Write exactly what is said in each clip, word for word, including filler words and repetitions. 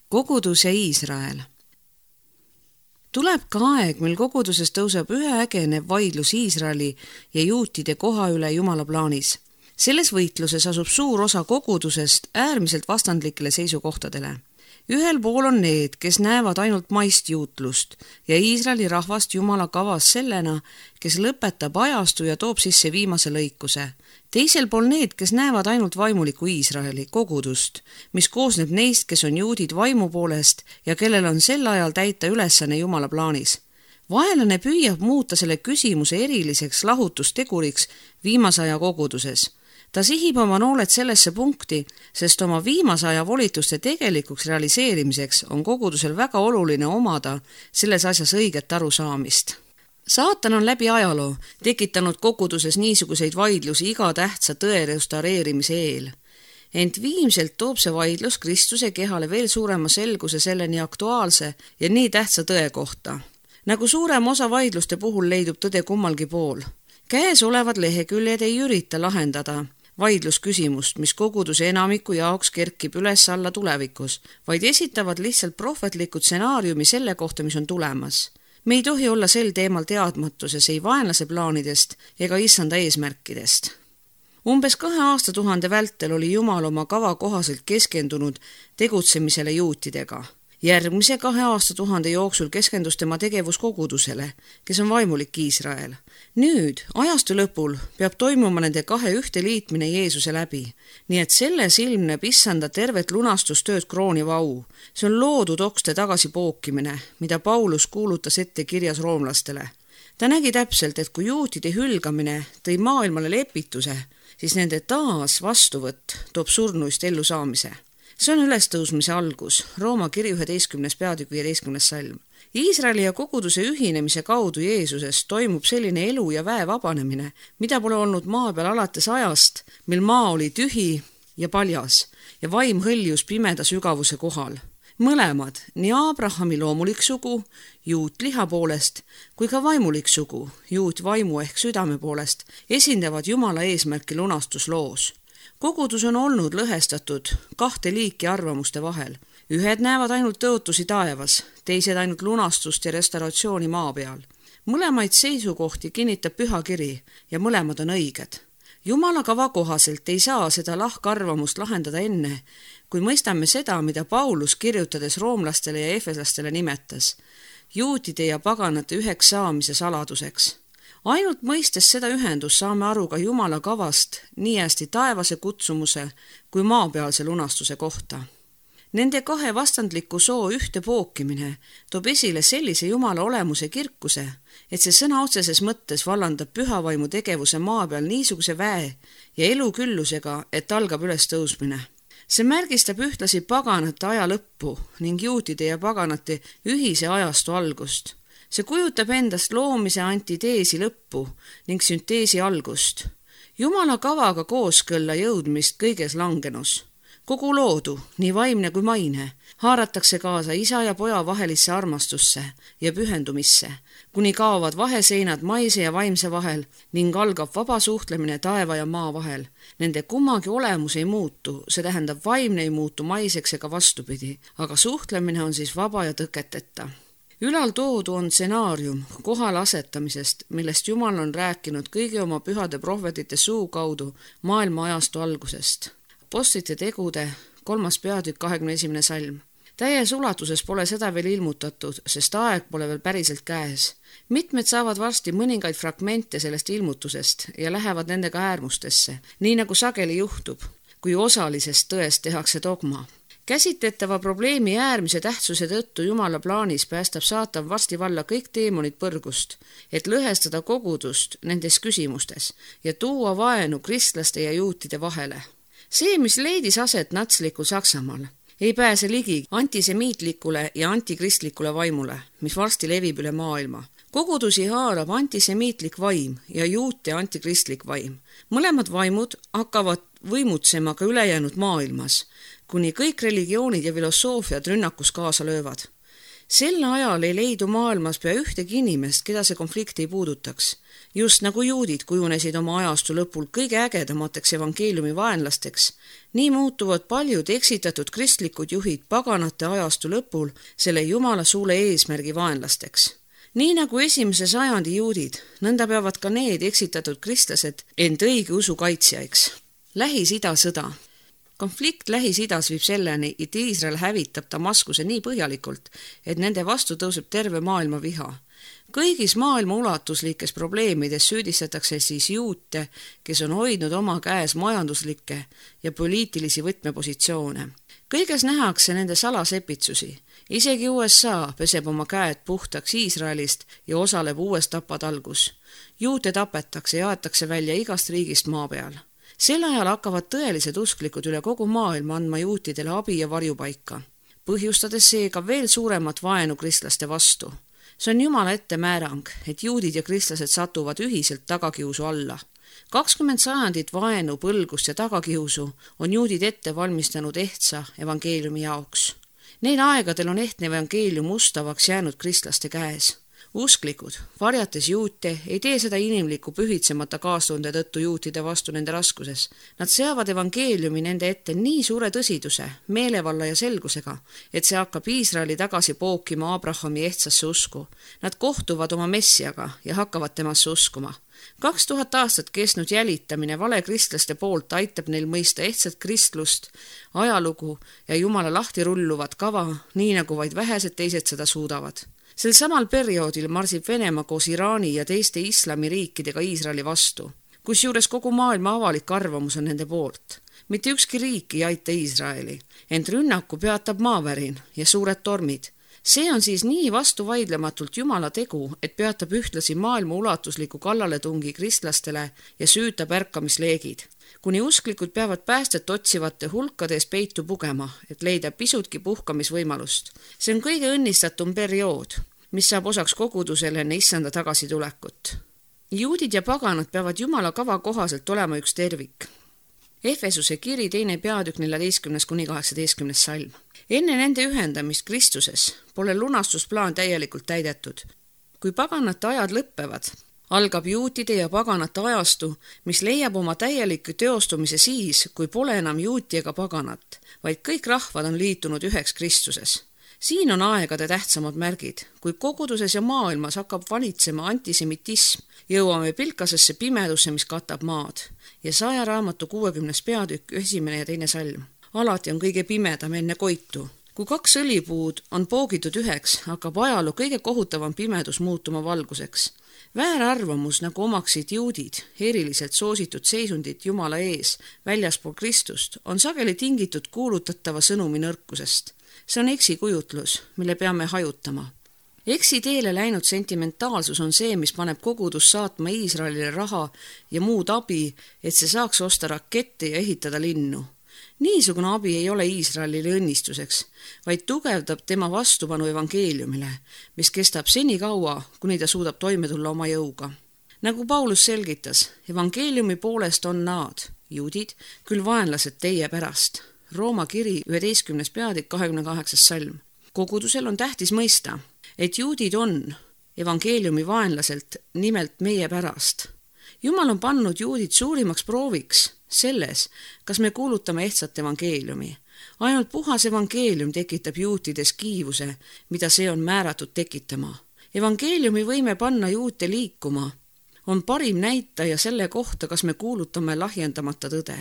Kogudus ja Iisrael. Tuleb ka aeg, mil koguduses tõuseb üheägenev vaidlus Iisraeli ja juutide koha üle Jumala plaanis. Selles võitluses asub suur osa kogudusest äärmiselt vastandlikele seisukohtadele. Ühel pool on need, kes näevad ainult maist juutlust ja Iisraeli rahvast Jumala kavas sellena, kes lõpetab ajastu ja toob sisse viimase lõikuse. Teisel pool need, kes näevad ainult vaimuliku Iisraeli kogudust, mis koosneb neist, kes on juudid vaimu poolest ja kellel on sel ajal täita ülesanne Jumala plaanis. Vaenlane püüab muuta selle küsimuse eriliseks lahutusteguriks viimase aja koguduses. Ta sihib oma nooled sellesse punkti, sest oma viimase aja volituste tegelikuks realiseerimiseks on kogudusel väga oluline omada selles asjas õiget arusaamist. Saatan on läbi ajaloo tekitanud koguduses niisuguseid vaidlusi iga tähtsa tõe restaureerimise eel. Ent viimselt toob see vaidlus Kristuse kehale veel suurema selguse selle nii aktuaalse ja nii tähtsa tõe kohta. Nagu suurem osa vaidluste puhul leidub tõde kummalgi pool. Käes olevad leheküljed ei ürita lahendada vaidlusküsimust, mis koguduse enamiku jaoks kerkib üles alla tulevikus, vaid esitavad lihtsalt prohvetlikud stsenaariumi selle kohta, mis on tulemas. Me ei tohi olla sel teemal teadmatuses ei vaenlase plaanidest ega issanda eesmärkidest. Umbes kahe aastatuhande vältel oli Jumal oma kava kohaselt keskendunud tegutsemisele juutidega. Järgmise kahe aastatuhande jooksul keskendus tema tegevus kogudusele, kes on vaimulik Iisrael. Nüüd, ajastu lõpul, peab toimuma nende kahe ühte liitmine Jeesuse läbi, nii et selles ilmneb issanda tervet lunastustööd krooniva au. See on loodud okste tagasi pookimine, mida Paulus kuulutas ette kirjas roomlastele. Ta nägi täpselt, et kui juutide hülgamine tõi maailmale lepituse, siis nende taas vastuvõtt toob surnuist ellu saamise. See on ülestõusmise algus, Rooma kiri üheteistkümnes peatükk viieteistkümnes salm. Iisraeli ja koguduse ühinemise kaudu Jeesusest toimub selline elu ja väe vabanemine, mida pole olnud maa peal alates ajast, mil maa oli tühi ja paljas ja vaim hõljus pimeda sügavuse kohal. Mõlemad, nii Abrahami loomulik sugu, juut liha poolest, kui ka vaimulik sugu, juut vaimu ehk südame poolest, esindavad Jumala eesmärki lunastusloos. Kogudus on olnud lõhestatud kahte liiki arvamuste vahel. Ühed näevad ainult tõotusi taevas, teised ainult lunastust ja restauratsiooni maa peal. Mõlemaid seisukohti kinnitab püha kiri ja mõlemad on õiged. Jumala kava kohaselt ei saa seda lahkarvamust lahendada enne, kui mõistame seda, mida Paulus kirjutades roomlastele ja efeslastele nimetas, juutide ja paganate üheks saamise saladuseks. Ainult mõistes seda ühendust saame aru ka Jumala kavast nii hästi taevase kutsumuse kui maapealse lunastuse kohta. Nende kahe vastandliku soo ühte pookimine toob esile sellise Jumala olemuse kirkuse, et see sõna otseses mõttes vallandab pühavaimu tegevuse maa peal niisuguse väe ja eluküllusega, et algab ülestõusmine. See märgistab ühtlasi paganate aja lõppu ning juutide ja paganate ühise ajastu algust. See kujutab endast loomise antiteesi lõppu ning sünteesi algust. Jumala kavaga kooskõlla jõudmist kõiges langenus. Kogu loodu, nii vaimne kui maine, haaratakse kaasa isa ja poja vahelisse armastusse ja pühendumisse, kuni kaovad vaheseinad maise ja vaimse vahel ning algab vaba suhtlemine taeva ja maa vahel. Nende kummagi olemus ei muutu, see tähendab vaimne ei muutu maiseks ega vastupidi, aga suhtlemine on siis vaba ja tõketeta. Ülal toodu on stsenaarium kohale asetamisest, millest Jumal on rääkinud kõigi oma pühade prohvetite suu kaudu maailma ajastu algusest. Apostlite tegude kolmas peatükk kahekümne esimene salm. Täies ulatuses pole seda veel ilmutatud, sest aeg pole veel päriselt käes. Mitmed saavad varsti mõningaid fragmente sellest ilmutusest ja lähevad nendega äärmustesse, nii nagu sageli juhtub, kui osalisest tõest tehakse dogma. Käsitletava probleemi äärmise tähtsuse tõttu Jumala plaanis päästab saatan varsti valla kõik teemonid põrgust, et lõhestada kogudust nendes küsimustes ja tuua vaenu kristlaste ja juutide vahele. See, mis leidis aset natslikul Saksamaal, ei pääse ligi antisemiitlikule ja antikristlikule vaimule, mis varsti levib üle maailma. Kogudusi haarab antisemiitlik vaim ja juute antikristlik vaim. Mõlemad vaimud hakkavad võimutsema ka ülejäänud maailmas, kuni kõik religioonid ja filosoofiad rünnakus kaasa löövad. Sel ajal ei leidu maailmas pea ühtegi inimest, keda see konflikt ei puudutaks. Just nagu juudid kujunesid oma ajastu lõpul kõige ägedamateks evangeeliumi vaenlasteks, nii muutuvad paljud eksitatud kristlikud juhid paganate ajastu lõpul selle Jumala suule eesmärgi vaenlasteks. Nii nagu esimese sajandi juudid, nõnda peavad ka need eksitatud kristlased end õige usu kaitsjaiks. Lähis-Ida sõda. Konflikt Lähis-Idas viib selleni, et Iisrael hävitab Damaskuse nii põhjalikult, et nende vastu tõuseb terve maailma viha. Kõigis maailma ulatuslikes probleemides süüdistatakse siis juute, kes on hoidnud oma käes majanduslikke ja poliitilisi võtmepositsioone. Kõiges nähakse nende salasepitsusi. Isegi U S A peseb oma käed puhtaks Iisraelist ja osaleb uues tapatalgus. Juute tapetakse ja aetakse välja igast riigist maa peal. Sel ajal hakkavad tõelised usklikud üle kogu maailma andma juutidele abi ja varjupaika, põhjustades seega veel suuremat vaenu kristlaste vastu. See on Jumala ettemäärang, et juudid ja kristlased satuvad ühiselt tagakiusu alla. kakskümmend sajandit vaenu, põlgust ja tagakiusu on juudid ette valmistanud ehtsa evangeeliumi jaoks. Neil aegadel on ehtne evangeelium ustavaks jäänud kristlaste käes. Usklikud, varjates juute, ei tee seda inimliku pühitsemata kaastunde tõttu juutide vastu nende raskuses. Nad seavad evangeeliumi nende ette nii suure tõsiduse, meelevalla ja selgusega, et see hakkab Iisraeli tagasi pookima Abrahami ehtsasse usku. Nad kohtuvad oma messiaga ja hakkavad temasse uskuma. Kaks tuhat aastat kestnud jälitamine vale kristlaste poolt aitab neil mõista ehtsat kristlust, ajalugu ja Jumala lahti rulluvat kava, nii nagu vaid vähesed teised seda suudavad. Sel samal perioodil marsib Venemaa koos Iraani ja teiste islamiriikidega Iisraeli vastu, kusjuures kogu maailma avalik arvamus on nende poolt. Mitte ükski riik ei aita Iisraeli, ent rünnaku peatab maavärin ja suured tormid. See on siis nii vastuvaidlematult Jumala tegu, et peatab ühtlasi maailma ulatusliku kallaletungi kristlastele ja süütab ärkamisleegid. Kuni usklikud peavad päästet otsivate hulkades peitu pugema, et leida pisutki puhkamisvõimalust. See on kõige õnnistatum periood, mis saab osaks kogudusele enne issanda tagasitulekut. Juudid ja paganad peavad Jumala kava kohaselt olema üks tervik. Efesuse kiri teine peatükk neljateistkümnes kuni kaheksateistkümnes salm. Enne nende ühendamist Kristuses pole lunastusplaan täielikult täidetud. Kui paganate ajad lõppevad, algab juutide ja paganate ajastu, mis leiab oma täieliku teostumise siis, kui pole enam juuti ega paganat, vaid kõik rahvad on liitunud üheks Kristuses. Siin on aegade tähtsamad märgid. Kui koguduses ja maailmas hakkab valitsema antisemitism, jõuame pilkasesse pimedusse, mis katab maad. Ja saja raamatu kuuekümnes peatükk, esimene ja teine salm. Alati on kõige pimedam enne koitu. Kui kaks õlipuud on poogitud üheks, hakkab ajaloo kõige kohutavam pimedus muutuma valguseks. Väärarvamus, nagu omaksid juudid, eriliselt soositud seisundit Jumala ees, väljaspool Kristust, on sageli tingitud kuulutatava sõnumi nõrkusest. See on eksikujutlus, mille peame hajutama. Eksi teele läinud sentimentaalsus on see, mis paneb kogudus saatma Iisraelile raha ja muud abi, et see saaks osta rakette ja ehitada linnu. Niisugune abi ei ole Iisraelile õnnistuseks, vaid tugevdab tema vastupanu evangeeliumile, mis kestab seni kaua, kuni ta suudab toime tulla oma jõuga. Nagu Paulus selgitas, evangeeliumi poolest on nad, juudid, küll vaenlased teie pärast. Rooma kiri üheteistkümnes peatükk kahekümne kaheksas salm. Kogudusel on tähtis mõista, et juudid on evangeeliumi vaenlaselt nimelt meie pärast. Jumal on pannud juudid suurimaks prooviks selles, kas me kuulutame ehtsat evangeeliumi. Ainult puhas evangeelium tekitab juutides kiivuse, mida see on määratud tekitama. Evangeeliumi võime panna juute liikuma, on parim näitaja selle kohta, kas me kuulutame lahjendamata tõde.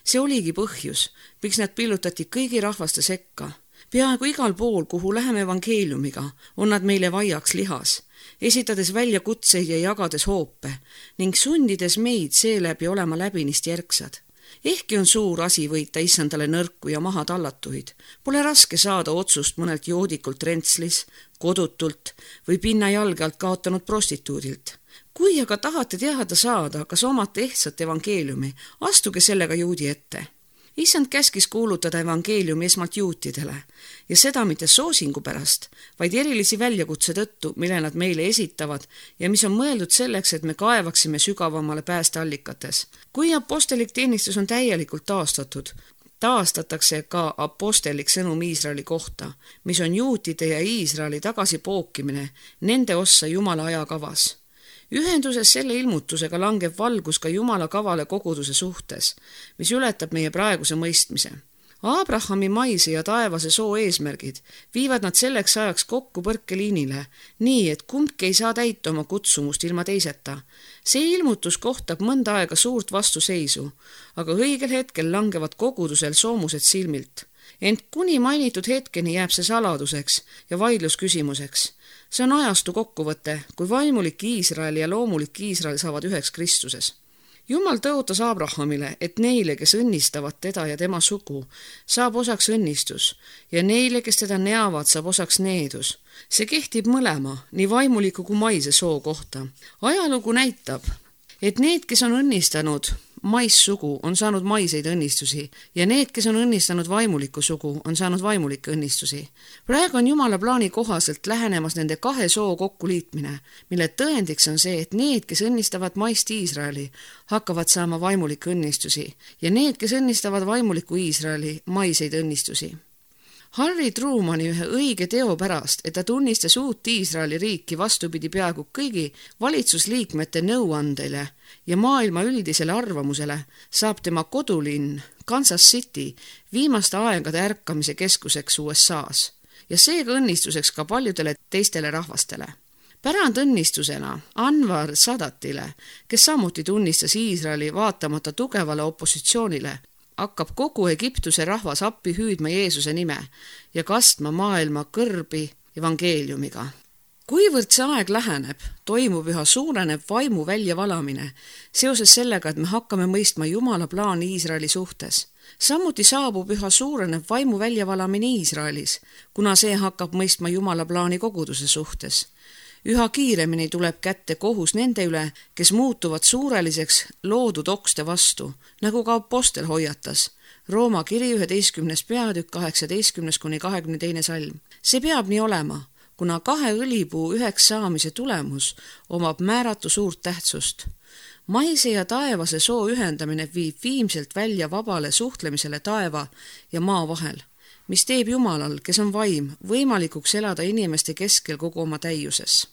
See oligi põhjus, miks nad pillutati kõigi rahvaste sekka. Peaaegu igal pool, kuhu läheme evangeeliumiga, on nad meile vaiaks lihas, esitades välja kutseid ja jagades hoope ning sundides meid seeläbi olema läbinist järgsad. Ehkki on suur asi võita issandale nõrku ja maha tallatuid, pole raske saada otsust mõnelt joodikult rentslis, kodutult või pinna jalge alt kaotanud prostituudilt. Kui aga tahate teada saada, kas omate ehtsat evangeeliumi, astuge sellega juudi ette. Issand käskis kuulutada evangeeliumi esmalt juutidele ja seda mitte soosingu pärast, vaid erilisi väljakutse tõttu, mille nad meile esitavad ja mis on mõeldud selleks, et me kaevaksime sügavamale päästeallikates. Kui apostelik teenistus on täielikult taastatud, taastatakse ka apostellik sõnum Iisraeli kohta, mis on juutide ja Iisraeli tagasipookimine nende ossa Jumala ajakavas. Ühenduses selle ilmutusega langeb valgus ka Jumala kavale koguduse suhtes, mis ületab meie praeguse mõistmise. Abrahami maise ja taevase soo eesmärgid viivad nad selleks ajaks kokku põrkeliinile, nii et kumbki ei saa täita oma kutsumust ilma teiseta. See ilmutus kohtab mõnda aega suurt vastuseisu, aga õigel hetkel langevad kogudusel soomused silmilt. Ent kuni mainitud hetkeni jääb see saladuseks ja vaidlusküsimuseks. See on ajastu kokkuvõte, kui vaimulik Iisrael ja loomulik Iisrael saavad üheks Kristuses. Jumal tõotas Abrahamile, et neile, kes õnnistavad teda ja tema sugu, saab osaks õnnistus ja neile, kes teda neavad, saab osaks needus. See kehtib mõlema, nii vaimuliku kui maise soo kohta. Ajalugu näitab, et need, kes on õnnistanud maissugu, on saanud maiseid õnnistusi ja need, kes on õnnistanud vaimulikku sugu, on saanud vaimulikke õnnistusi. Praegu on Jumala plaani kohaselt lähenemas nende kahe soo kokkuliitmine, mille tõendiks on see, et need, kes õnnistavad maist Iisraeli, hakkavad saama vaimulikke õnnistusi ja need, kes õnnistavad vaimulikku Iisraeli, maiseid õnnistusi. Harry Trumani ühe õige teo pärast, et ta tunnistas uut Iisraeli riiki vastupidi peaaegu kõigi valitsusliikmete nõuandele ja maailma üldisele arvamusele, saab tema kodulinn Kansas City viimaste aegade ärkamise keskuseks U S A-s ja seega õnnistuseks ka paljudele teistele rahvastele. Pärandõnnistusena Anwar Sadatile, kes samuti tunnistas Iisraeli vaatamata tugevale opositsioonile, hakkab kogu Egiptuse rahvas appi hüüdma Jeesuse nime ja kastma maailma kõrbi evangeeliumiga. Kuivõrd see aeg läheneb, toimub üha suureneb vaimu väljavalamine seoses sellega, et me hakkame mõistma Jumala plaani Iisraeli suhtes. Samuti saabub üha suureneb vaimu väljavalamine Iisraelis, kuna see hakkab mõistma Jumala plaani koguduse suhtes. Üha kiiremini tuleb kätte kohus nende üle, kes muutuvad suureliseks loodud okste vastu, nagu ka apostel hoiatas. Rooma kiri üheteistkümnes peatükk kaheksateistkümnes kuni kahekümne teine salm. See peab nii olema, kuna kahe õlipuu üheks saamise tulemus omab määratu suurt tähtsust. Maise ja taevase soo ühendamine viib viimselt välja vabale suhtlemisele taeva ja maa vahel, mis teeb Jumalal, kes on vaim, võimalikuks elada inimeste keskel kogu oma täiuses.